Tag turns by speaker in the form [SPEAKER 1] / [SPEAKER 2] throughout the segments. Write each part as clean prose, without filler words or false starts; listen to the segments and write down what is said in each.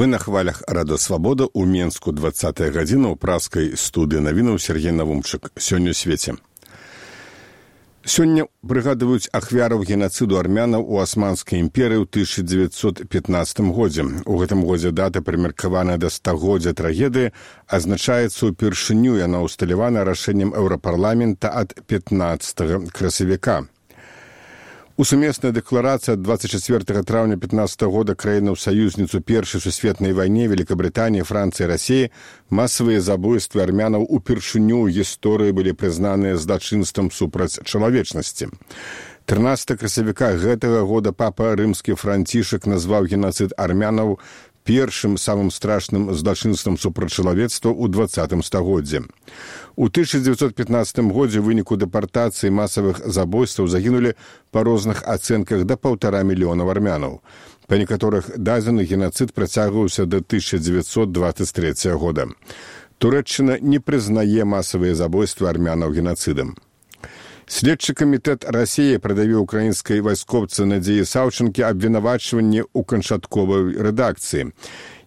[SPEAKER 1] Вы на хвалях Радо Свабода ў Менску 20 гадзіна ў праскай студыі навінаў Сергей Навумчык. Сёння ў свеце. Сёння прыгадваюць ахвяраў генацыду армянаў у Асманскай імперыі ў 1915 годзе. У гэтым годзе дата, прымеркаваная да стагоддзя трагедыі, азначаецца ўпершыню, яна ўсталявана рашэннем Еўрапарламента ад 15 красавіка. У сумеснай дэкларацыі ад 24 траўня 15 года краінаў-саюзніцу Першай сусветнай вайне Великабрытаніі, Францыі і Расіі масавыя забойствы армянаў упершыню ў гісторыі былі прызнаныя злачынствам супраць чалавечнасці. 13 красавіка гэтага года папа рымскі Францішак назваў генацыд армянаў першым самым страшным злачынствам супраць чалавецтва ў 20 стагоддзі. У 1915 годзе ў выніку дэпартацыі масавых забойстваў загінулі па розных ацэнках да 1,5 мільёна армянаў. Па некаторых дадзеных генацыд працягваўся да 1923 года. Турэччына не прызнае масавыя забойствы армянаў генацыдам. Следчы камітэт Расіі прадавіў украінскай вайскоўцы Надзеі Саўчанкі абвінавачванне ў канчатковай рэдакцыі.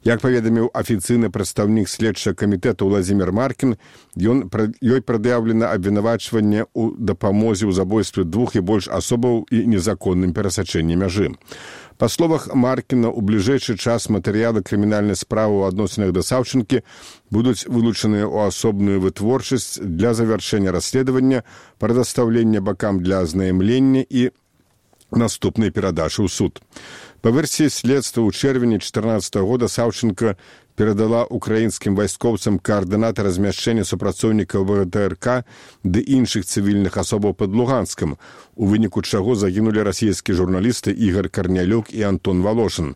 [SPEAKER 1] Як паведаміў афіцыйны прадстаўнік следчага камітэта Владзімір Маркін, ёй прад'яўлена абвінавачванне ў дапамозе ў забойстве 2 і больш асобаў і незаконным перасачэнні мяжы. Па словах Маркіна, у бліжэйшы час матэрыялы крымінальнай справы ў адносінах да Саўчанкі будуць вылучаныя ў асобную вытворчасць для завяршэння расследавання, прадастаўлення бакам для азнаямлення і наступнай перадачы ў суд. Па версіі следства ў чэрвені 2014 года Саўчанка перадала украінскім вайскоўцам каардынаты размяшчэння супрацоўнікаў ВТРК ды іншых цывільных асобаў пад Луганскам, у выніку чаго загінулі расійскія журналісты Ігор Карнялюк і Антон Волошин.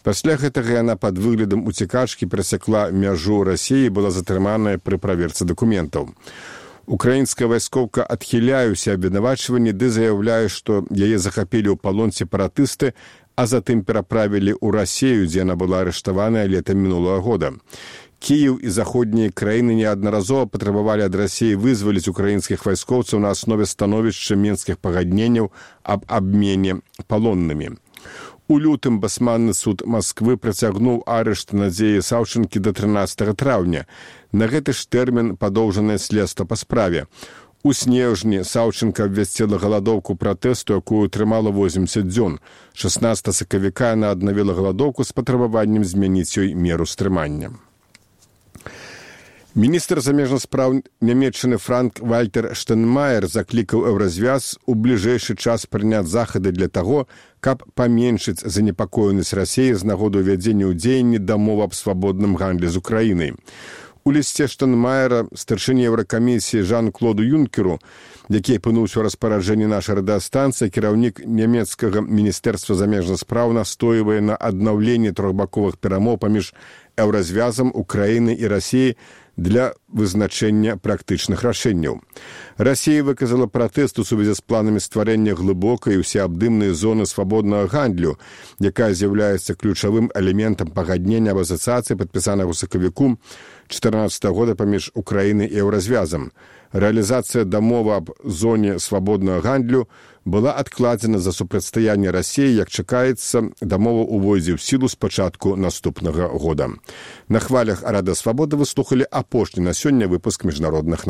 [SPEAKER 1] Пасля гэтага яна пад выглядам уцекачкі перасякла мяжу Расіі і была затрыманая пры праверцы дакументаў. Украінская вайскоўка адхіляе ўсе абвінавачванні ды заяўляе, што яе захапілі ў палон сепаратысты, а затым пераправілі ў Расію, дзе яна была арыштаваная летам мінулага года. Кіеў і заходнія краіны неаднаразова патрабавалі ад Расіі вызваліць украінскіх вайскоўцаў на аснове становішча мінскіх пагадненняў аб абмене палоннымі. У лютым басманны суд Масквы працягнуў арышт Надзеі Саўчанкі да 13 траўня. На гэты ж тэрмін падоўжанае следства па справе. У снежні Саўчанка абвясціла галадоўку пратэсту, якую трымала 80 дзён. 16 сакавіка яна аднавіла галадоўку з патрабаваннем змяніць ёй меру стрымання. Міністр замежных спраў Нямецчыны Франк-Вальтер Штайнмаер заклікаў Еўразвяз у бліжэйшы час прыняць захады для таго, каб паменшыць занепакоенасць Расіі з нагоды ўвядзення ў дзеянні дамовы аб свабодным гандлі з Украінай. У лісце Штайнмаера старшыні Еўракамісіі Жан-Клоду Юнкеру, які апынуўся ў распараджэнні нашай радыёстанцыі, кіраўнік нямецкага міністэрства замежных спраў настойвае на аднаўленні трохбаковых перамоў паміж Еўразвязам, Украінай і Расіяй для вызначэння практычных рашэнняў. Расія выказала пратэст у сувязі з планамі стварэння глыбокай і ўсеабдымнай зоны свабоднага гандлю, якая з'яўляецца ключавым элементам пагаднення аб асацыяцыі, падпісанага ў сакавіку 2014 года паміж Украінай і Еўразвязам. Рэалізацыя дамовы аб зоне свабоднага гандлю была адкладзена за супрацьстаянне Расіі, як чакаецца, дамова ўвойдзе ў сілу з пачатку наступнага года. На хвалях Рада Свабода вы слухалі апошні на сёння выпуск міжнародных